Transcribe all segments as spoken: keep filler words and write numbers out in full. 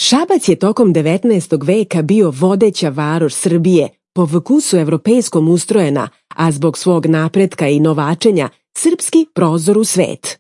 Šabac je tokom devetnaestog veka bio vodeća varoš Srbije, po vkusu evropejskom ustrojena, a zbog svog napretka i novačenja srpski prozor u svet.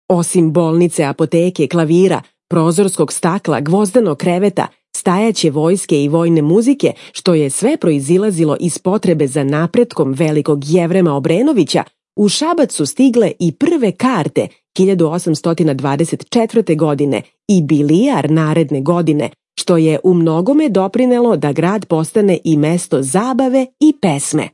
Osim bolnice, apoteke, klavira, prozorskog stakla, gvozdanog kreveta, stajaće vojske i vojne muzike, što je sve proizilazilo iz potrebe za napretkom velikog Jevrema Obrenovića, u Šabac su stigle i prve karte hiljadu osamsto dvadeset četvrte. godine i bilijar naredne godine, što je u mnogome doprinelo da grad postane i mesto zabave i pesme.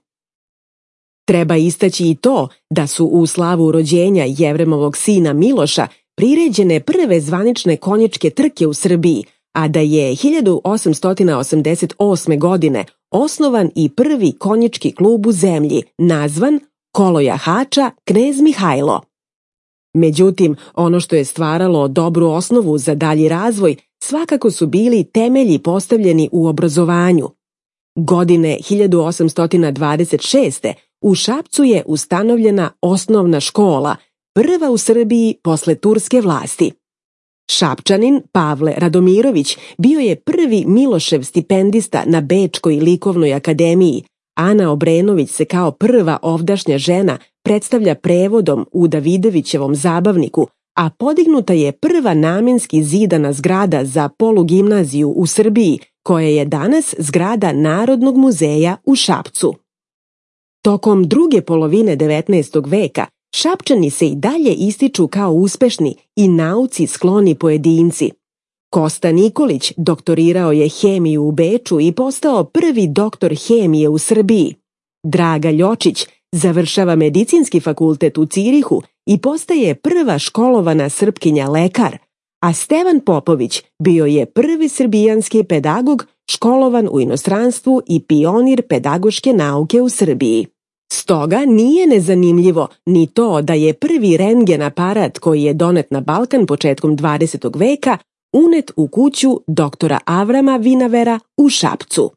Treba istaći i to da su u slavu rođenja Jevremovog sina Miloša priređene prve zvanične konjičke trke u Srbiji, a da je hiljadu osamsto osamdeset osme. godine osnovan i prvi konjički klub u zemlji, nazvan Kolo jahača Knez Mihajlo. Međutim, ono što je stvaralo dobru osnovu za dalji razvoj svakako su bili temelji postavljeni u obrazovanju. Godine hiljadu osamsto dvadeset šeste. u Šapcu je ustanovljena osnovna škola, prva u Srbiji posle turske vlasti. Šapčanin Pavle Radomirović bio je prvi Milošev stipendista na Bečkoj likovnoj akademiji. Ana Obrenović se kao prva ovdašnja žena predstavlja prevodom u Davidovićevom zabavniku, a podignuta je prva namenski zidana zgrada za polugimnaziju u Srbiji, koja je danas zgrada Narodnog muzeja u Šapcu. Tokom druge polovine devetnaestog veka Šapčani se i dalje ističu kao uspešni i nauci skloni pojedinci. Kosta Nikolić doktorirao je hemiju u Beču i postao prvi doktor hemije u Srbiji. Draga Ljočić završava medicinski fakultet u Cirihu i postaje prva školovana Srpkinja lekar, a Stevan Popović bio je prvi srbijanski pedagog školovan u inostranstvu i pionir pedagoške nauke u Srbiji. Stoga nije nezanimljivo ni to da je prvi rentgen aparat koji je donet na Balkan početkom dvadesetog veka unet u kuću doktora Avrama Vinavera u Šapcu.